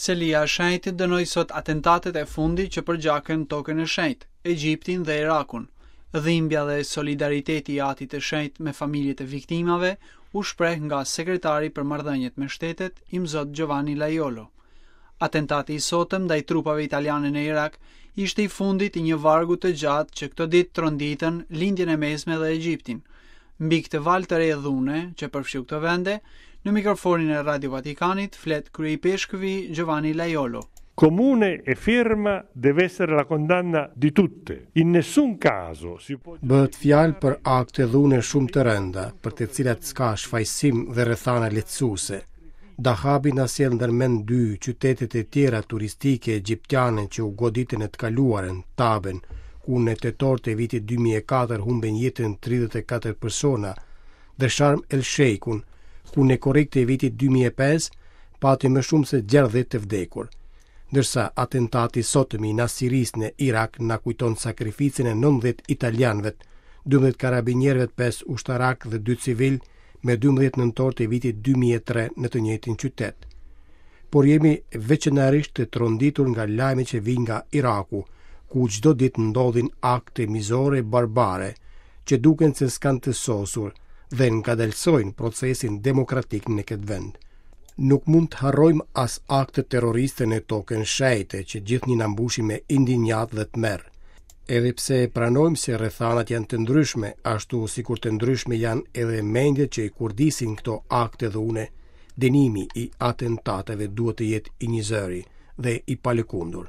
Selia e Shenjtë dënoi sot atentatet e fundit që përgjakën Tokën e Shenjtë, Egjiptin dhe Irakun. Dhimbja dhe solidariteti i Atit të Shenjtë me familjet e viktimave u shpreh nga sekretari për marrëdhëniet me shtetet, Imzot Giovanni Lajolo. Atentati i sotëm ndaj trupave italiane në Irak ishte i fundit i një vargu të gjatë që këto ditë tronditën Lindjen e Mesme dhe Egjiptin. Mbi këtë valë të re dhune që përfshiu këto vende, në mikrofonin e Radio Vatikanit flet kryeipeshkvi Giovanni Lajolo. Comune e ferma deve essere la condanna di tutte. In nessun caso si può Bëhet fjalë për akte dhune shumë të rënda, për të cilat s'ka shfajësim dhe rrethana lehtësuese. Dahabi na sjell ndër mend dy qytetet e tjera turistike egjiptiane që u goditën në të kaluarën, Taben, ku në tetor të vitit 2004 humbën jetën 34 persona, dhe Sharm el Sheikun, ku në korrik të vitit 2005 pati më shumë se 60 të vdekur. Ndërsa atentati i sotëm i Nasirisë në Irak na kujton sakrificën e 90 italianëve, 12 karabinierëve, 5 ushtarakë dhe 2 civilë me 12 nëntor të vitit 2003 në të njëjtin qytet. Por jemi veçanërisht të tronditur nga lajmet që vijnë nga Iraku, ku çdo ditë ndodhin akte mizore barbare, që duken se s'kanë të sosur dhe ngadalësojnë procesin demokratik në këtë vend. Nuk mund të harrojmë as aktet terroriste në Tokën e Shenjtë që gjithnjë na mbushin me indinjatë dhe tmerr. Edhe pse e pranojmë se rrethanat janë të ndryshme, ashtu sikur të ndryshme janë edhe mendjet që i kurdisin këto akte dhune, dënimi i atentateve duhet të jetë i njëzëri dhe i palëkundur.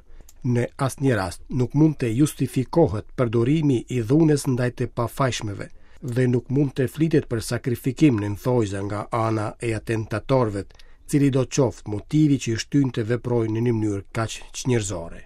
Në asnjë rast nuk mund të justifikohet përdorimi i dhunës ndaj të pafajshmëve dhe nuk mund të flitet për sakrifikim në thonjëza nga ana e atentatorëve, cilido qoftë motivi që i shtyn të veprojnë në një mënyrë kaq çnjerëzore.